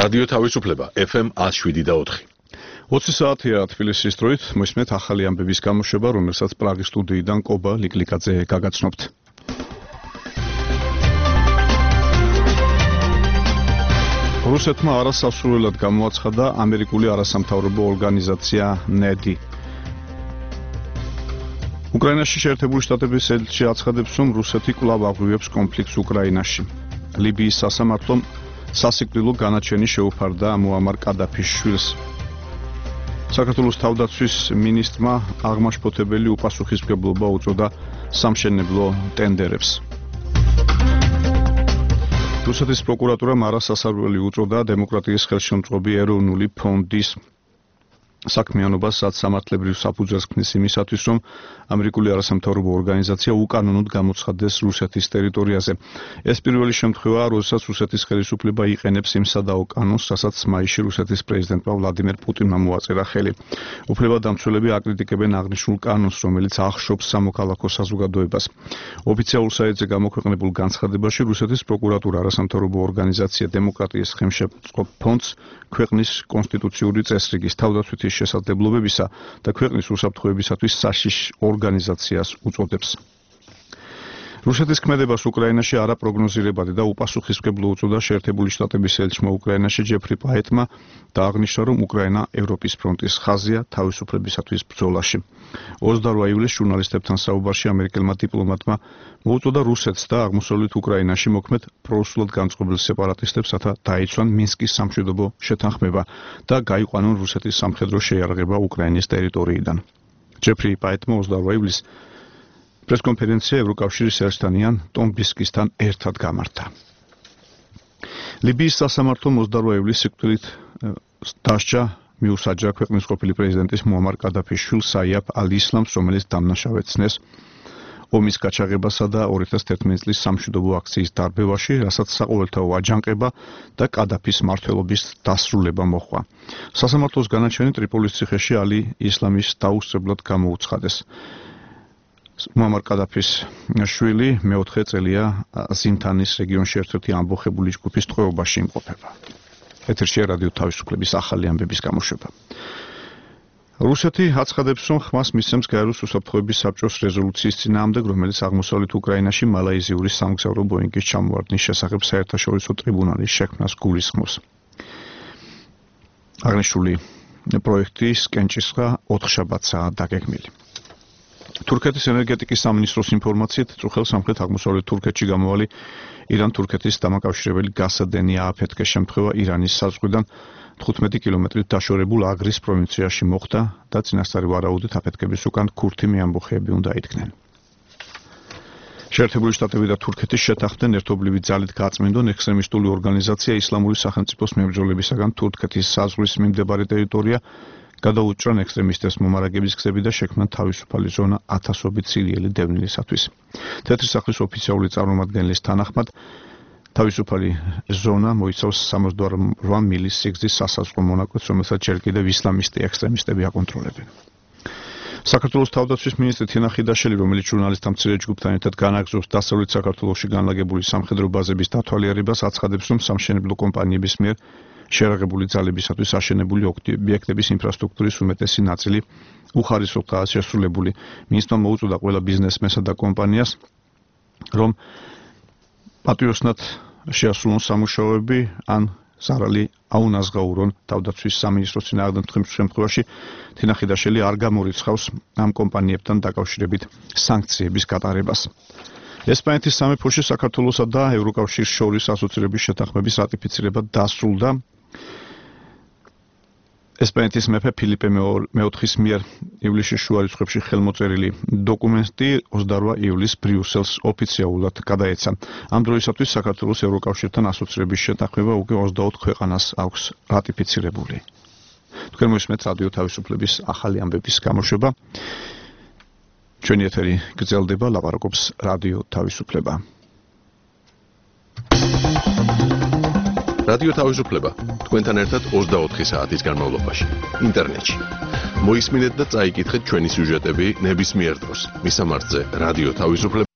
რადიო თავისუფლება FM 107.4. 20 საათია თბილისის დროით, მოისმენთ ახალი ამბების გამოშვება, რომელსაც პრაღის სტუდიიდან კობა ლიკლიკაძე გაგაცნობთ. რუსეთმა არასასურველად გამოაცხადა ამერიკული არასამთავრობო ორგანიზაცია NEDI. უკრაინაში შეერთებული შტატების ელჩი აცხადებს, რომ რუსეთი კვლავ აღვივებს კონფლიქტს უკრაინაში. ლიბიის სასამართლომ სასიკვდილო განაჩენი შეუფარდა მუამარ კადაფის შვილს. საქართველოს თავდაცვის მინისტრმა აღმაშფოთებელი უპასუხისმგებლობა უწოდა სამშენებლო ტენდერებს. რუსეთის პროკურატურამ არასასარველი უწოდა დემოკრატიის ხელშემწყობი ეროვნული ფონდის საქმიანობას, რაც სამართლებრივ საფუძველს ქმნის იმისათვის, რომ ამერიკული არასამთავრობო ორგანიზაცია უკანონოდ გამოცხადდეს რუსეთის ტერიტორიაზე. ეს პირველი შემთხვევაა, როდესაც რუსეთის ხელისუფლება იყენებს იმ სადაო კანონს, რასაც მაისში რუსეთის პრეზიდენტმა ვლადიმერ პუტინმა მოაწერა ხელი. უფლებადამცველები აკრიტიკებენ აღნიშნულ კანონს, რომელიც ახშობს სამოქალაქო საზოგადოებას. ოფიციალურ საიტზე გამოქვეყნებულ განცხადებაში რუსეთის პროკურატურა არასამთავრობო ორგანიზაცია დემოკრატიის ხელშემწყობ ფონდს ქვეყნის კონსტიტუციური წესრიგის თავდაცვითი შესაძლებლობებისა და ქვეყნის უსაფრთხოებისათვის საშიშ ორგანიზაციას უწოდებს. რუსეთის ქმედებას უკრაინაში არაპროგნოზირებადი და უპასუხისმგებლო უწოდა შეერთებული შტატების ელჩმა უკრაინაში ჯეფრი პაეტმა და აღნიშნა, რომ უკრაინა ევროპის ფრონტის ხაზია თავისუფლებისათვის ბრძოლაში. 28 ივლისს ჟურნალისტებთან საუბარში ამერიკელმა დიპლომატმა მოუწოდა რუსეთს და აღმოსავლეთ უკრაინაში მოქმედ პრორუსულად განწყობილ სეპარატისტებს, რათა დაიცვან მინსკის სამშვიდობო შეთანხმება და გაიყვანონ რუსეთის სამხედრო შეიარაღება უკრაინის ტერიტორიიდან. ჯეფრი პაეტმა 28 ივლისს პრესკონფერენცია ევროკავშირის ერისთან ტომ ბისკისთან ერთად გამართა. ლიბიის სასამართლომ 28 ივლისს სიკვდილით დასჯა მიუსაჯა ქვეყნის ყოფილი პრეზიდენტის მუამარ კადაფის შვილს საიაფ ალ-ისლამს, რომელიც დამნაშავეცნეს ომის გაჩაღებასა და 2011 წლის სამშვიდობო აქციის დარბევაში, რასაც საყოველთაო აჯანყება და კადაფის მმართველობის დასრულება მოჰყვა. სასამართლოს განაჩენი ტრიპოლის ციხეში ალი-ისლამის დაუსწრებლად გამოუცხადეს. მუამარ კადაფის შვილი მეოთხე წელია ზინთანის რეგიონში ერთ-ერთი ამბოხებული ჯგუფის ტყვეობაში იმყოფება. ეთერშია რადიო თავისუფლების ახალი ამბების გამოშვება. რუსეთი აცხადებს, რომ ხმას მისცემს გაეროს უსაფრთხოების საბჭოს რეზოლუციის წინააღმდეგ, რომელიც აღმოსავლეთ უკრაინაში მალაიზიური სამგზავრო ბოინგის ჩამოვარდნის შესახებ საერთაშორისო ტრიბუნალის შექმნას გულისხმობს. აღნიშნული პროექტის კენჭისყრა 4 შაბათსაა დაგეგმილი. თურქეთის ენერგეტიკის სამინისტროს ინფორმაციით, წუხელ სამხრეთ აღმოსავლეთ თურქეთში გამოვალი ირან-თურქეთის დამაკავშირებელი გასადენი ააფეთქე შემთხვევა ირანის საზღვრიდან 15 კილომეტრით დაშორებულ აგრის პროვინციაში მოხდა და წინასწარი ვარაუდით აფეთქების უკან ქურთი მეამბოხეები უნდა იდგნენ. შეერთებული შტატები და თურქეთი შეთანხმდნენ ერთობლივი ძალით გაწმენდონ ექსტრემისტული ორგანიზაცია ისლამური სახელმწიფოს მებრძოლებისაგან თურქეთის საზღვრის მიმდებარე ტერიტორია გადაუჭრან ექსტრემისტებს მომარაგების გზები და შექმნან თავისუფალი ზონა ათასობით სირიელი დევნილისათვის. თეთრი სახლის ოფიციალური წარმომადგენლის თანახმად თავისუფალი ზონა მოიცავს 68 მილის სიგრძის სასაზღვრო მონაკვეთს, რომელსაც ჯერ კიდევ ისლამისტი ექსტრემისტები აკონტროლებენ. საქართველოს თავდაცვის მინისტრი თინა ხიდაშელი, რომელიც ჟურნალისტთა მცირე ჯგუფთან ერთად განაგრძობს დასავლეთ საქართველოში განლაგებული სამხედრო ბაზების დათვალიერებას, აცხადებს, რომ სამშენებლო კომპანიების მიერ შეერაღებული ძალებისათვის აშენებული ობიექტების ინფრასტრუქტურის უმეტესი ნაწილი უხარისროთაა შესრულებული. მინისტრმა მოუწოდა ყველა ბიზნესმენსა და კომპანიას, რომ პატრიოტულად შეასრულონ სამუშაოები ან ზარალი აუნაზღაურონ. თავდაცვის სამინისტროს წინააღმდეგ შემთხვევაში თინა ხიდაშელი არ გამორიცხავს ამ კომპანიებთან დაკავშირებით სანქციების გატარებას. ესპანეთის სამეფოში საქართველოსა და ევროკავშირის შორის ასოცირების შეთანხმების რატიფიცირება დასრულდა. ესპანეთის მეფე ფილიპე მეოთხის მიერ ივლისის შუა რიცხვებში ხელმოწერილი დოკუმენტი 28 ივლისს ბრიუსელს ოფიციალურად გადაეცა. ამ დროისათვის საქართველოს ევროკავშირთან ასოცირების შეთანხმება უკვე 24 ქვეყანას აქვს რატიფიცირებული. თქვენ მოისმენთ რადიო თავისუფლების ახალი ამბების გამოშვება. ჩვენი ეთერი გრძელდება, ლაპარაკობს რადიო თავისუფლება. რადიო თავისუფლება თქვენთან ერთად 24 საათის განმავლობაში ინტერნეტში. მოისმინეთ და წაიკითხეთ ჩვენი სიუჟეტები ნებისმიერ დროს. მისამართზე რადიო თავისუფლება